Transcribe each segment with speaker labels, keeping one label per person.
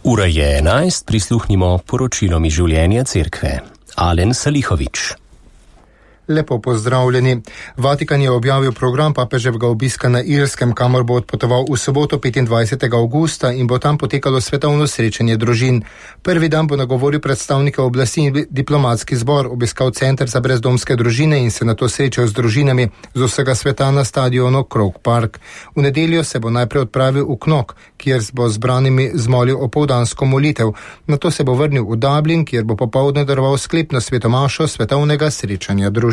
Speaker 1: Ura je 11, prisluhnimo poročilom iz življenja cerkve. Alen Salihovič.
Speaker 2: Lepo pozdravljeni. Vatikan je objavil program papeževega obiska na Irskem, kamor bo odpotoval v soboto 25. avgusta in bo tam potekalo svetovno srečanje družin. Prvi dan bo nagovoril predstavnike oblasti in diplomatski zbor, obiskal center za brezdomske družine in se nato srečal z družinami z vsega sveta na stadionu Croke Park. V nedeljo se bo najprej odpravil v Knok, kjer bo zbranimi zmolil opoldansko molitev. Nato se bo vrnil v Dublin, kjer bo popoldne daroval sklepno svetomašo svetovnega srečanja družin.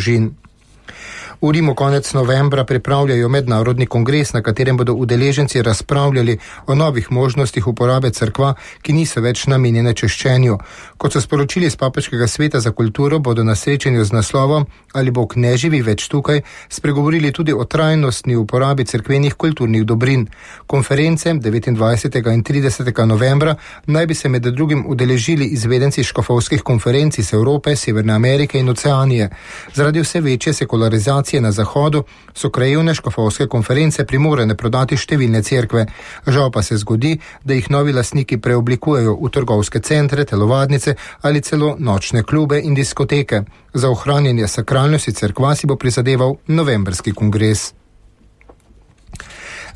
Speaker 2: V Rimu konec novembra pripravljajo mednarodni kongres, na katerem bodo udeleženci razpravljali o novih možnostih uporabe cerkva, ki niso več namenjene češčenju. Kot so sporočili iz Papeškega sveta za kulturo, bodo na srečanju z naslovom Ali Bog ne živi več tukaj spregovorili tudi o trajnostni uporabi cerkvenih kulturnih dobrin. Konference 29. in 30. novembra naj bi se med drugim udeležili izvedenci škofovskih konferenc iz Evrope, Severne Amerike in Oceanije. Zaradi vse večje sekularizacije na Zahodu so krajevne škofovske konference primorane prodati številne cerkve. Žal pa se zgodi, da jih novi lastniki preoblikujejo v trgovske centre, telovadnice ali celo nočne klube in diskoteke. Za ohranjanje sakralnosti cerkva si bo prizadeval novembrski kongres.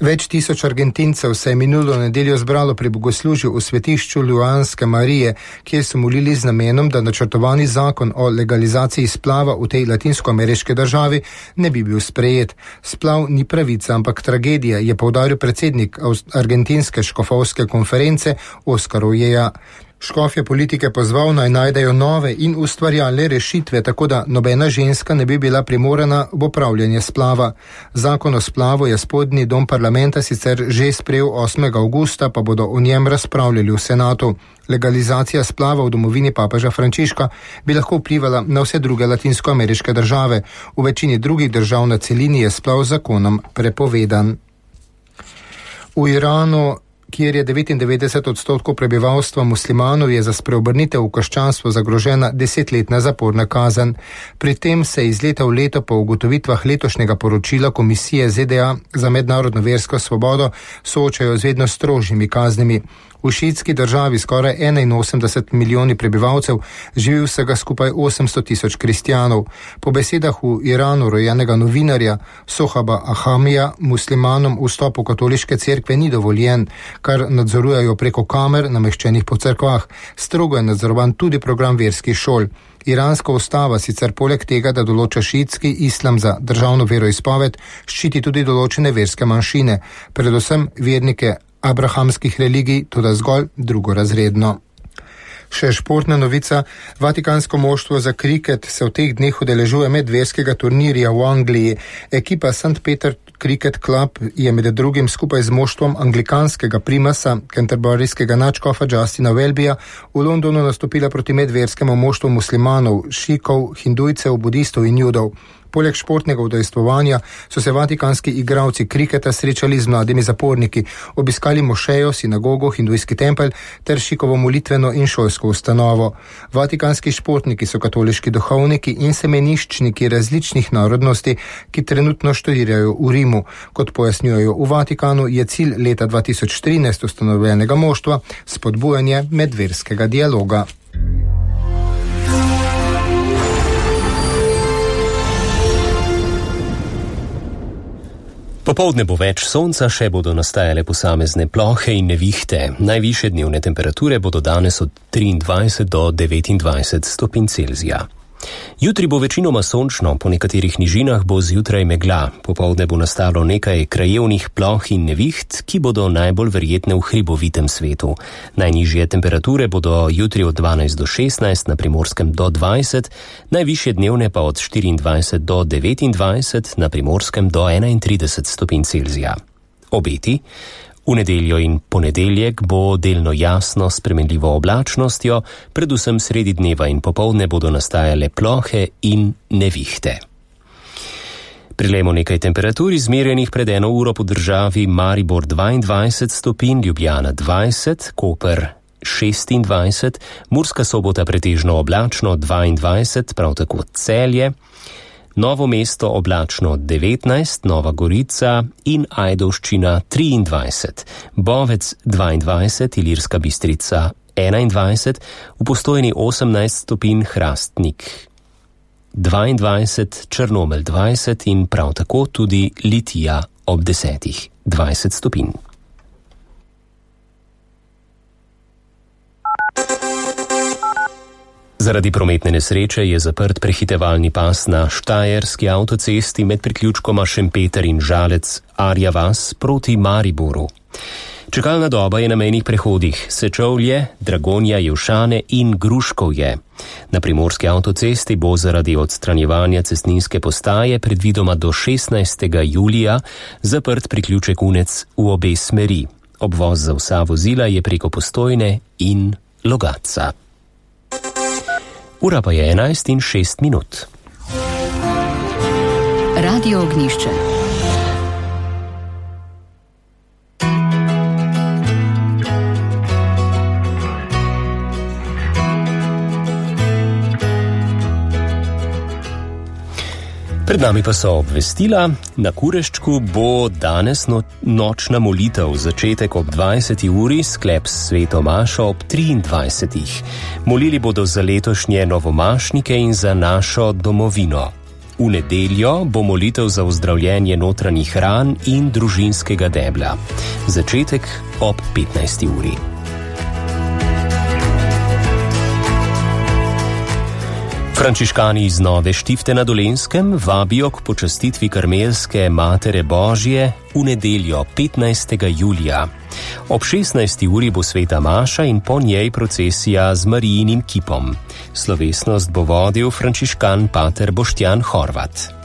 Speaker 2: Več tisoč Argentincev se je minulo nedeljo zbralo pri bogoslužju v svetišču Ljuanske Marije, kjer so molili z namenom, da načrtovani zakon o legalizaciji splava v tej latinskoameriški državi ne bi bil sprejet. Splav ni pravica, ampak tragedija, je poudaril predsednik argentinske škofovske konference Oskar Ojeja. Škof je politike pozval naj najdejo nove in ustvarjalne rešitve, tako da nobena ženska ne bi bila primorana v opravljanje splava. Zakon o splavu je spodnji dom parlamenta sicer že sprejel 8. avgusta, pa bodo o njem razpravljali v senatu. Legalizacija splava v domovini papeža Frančiška bi lahko vplivala na vse druge latinskoameriške države. V večini drugih držav na celini je splav zakonom prepovedan. V Iranu, kjer je 99% prebivalstva muslimanov, je za spreobrnitev v krščanstvo zagrožena 10-letna zaporna kazen. Pri tem se iz leta v leto po ugotovitvah letošnjega poročila Komisije ZDA za mednarodno versko svobodo soočajo z vedno strožjimi kaznimi. V šiitski državi skoraj 81 milijoni prebivalcev živi vsega skupaj 800 tisoč kristjanov. Po besedah v Iranu rojenega novinarja Sohaba Ahamija muslimanom vstop v katoliške cerkve ni dovoljen, kar nadzorujejo preko kamer nameščenih po cerkvah. Strogo je nadzorovan tudi program verskih šol. Iranska ustava sicer poleg tega, da določa šiitski islam za državno veroizpoved, ščiti tudi določene verske manjšine, predvsem vernike abrahamskih religij, toda zgolj drugorazredno. Še športna novica. Vatikansko moštvo za kriket se v teh dneh udeležuje medverskega turnirja v Angliji. Ekipa St. Peter Cricket Club je med drugim skupaj z moštvom anglikanskega primasa, canterburyskega nadškofa Justina Welbyja, v Londonu nastopila proti medverskemu moštvu muslimanov, šikov, hindujcev, budistov in judov. Poleg športnega udejstvovanja so se vatikanski igralci kriketa srečali z mladimi zaporniki, obiskali mošejo, sinagogo, hindujski tempelj ter šikovo molitveno in šolsko ustanovo. Vatikanski športniki so katoliški duhovniki in semeniščniki različnih narodnosti, ki trenutno študirajo v Rimu. Kot pojasnjujejo v Vatikanu, je cilj leta 2013 ustanovljenega moštva spodbujanje medverskega dialoga.
Speaker 1: Popoldne bo več sonca, še bodo nastajale posamezne plohe in nevihte. Najvišje dnevne temperature bodo danes od 23 do 29 stopinj Celzija. Jutri bo večinoma sončno, po nekaterih nižinah bo zjutraj megla. Popoldne bo nastalo nekaj krajevnih ploh in neviht, ki bodo najbolj verjetne v hribovitem svetu. Najnižje temperature bodo jutri od 12 do 16, na Primorskem do 20, najvišje dnevne pa od 24 do 29, na Primorskem do 31 stopinj Celzija. Obeti. V nedeljo in ponedeljek bo delno jasno s spremenljivo oblačnostjo, predvsem sredi dneva in popoldne bodo nastajale plohe in nevihte. Prilejmo nekaj temperatur izmerjenih pred 1 uro po državi: Maribor 22 stopinj, Ljubljana 20, Koper 26, Murska Sobota pretežno oblačno 22, prav tako Celje, Novo Mesto oblačno 19, Nova Gorica in Ajdovščina 23, Bovec 22, Ilirska Bistrica 21, v Postojni 18 stopinj, Hrastnik 22, Črnomelj 20 in prav tako tudi Litija ob 10, 20 stopinj. Zaradi prometne nesreče je zaprt prehitevalni pas na Štajerski avtocesti med priključkoma Šempeter in Žalec Arja vas proti Mariboru. Čakalna doba je na mejnih prehodih Sečovlje, Dragonja, Jelšane in Gruškovje. Na primorski avtocesti bo zaradi odstranjevanja cestninske postaje predvidoma do 16. julija zaprt priključek Unec v obe smeri. Obvoz za vsa vozila je preko Postojne in Logatca. Ura pa je 11:06.
Speaker 3: Radio Ognjišče.
Speaker 1: Pred nami pa so obvestila. Na Kureščku bo danes nočna molitev, začetek ob 20. uri, sklep s sveto mašo ob 23. Molili bodo za letošnje novomašnike in za našo domovino. V nedeljo bo molitev za ozdravljenje notranjih ran in družinskega debla. Začetek ob 15. uri. Frančiškani iz Nove Štifte na Dolenjskem vabijo k počastitvi Karmelske Matere Božje v nedeljo 15. julija. Ob 16. uri bo sveta maša in po njej procesija z Marijinim kipom. Slovesnost bo vodil frančiškan pater Boštjan Horvat.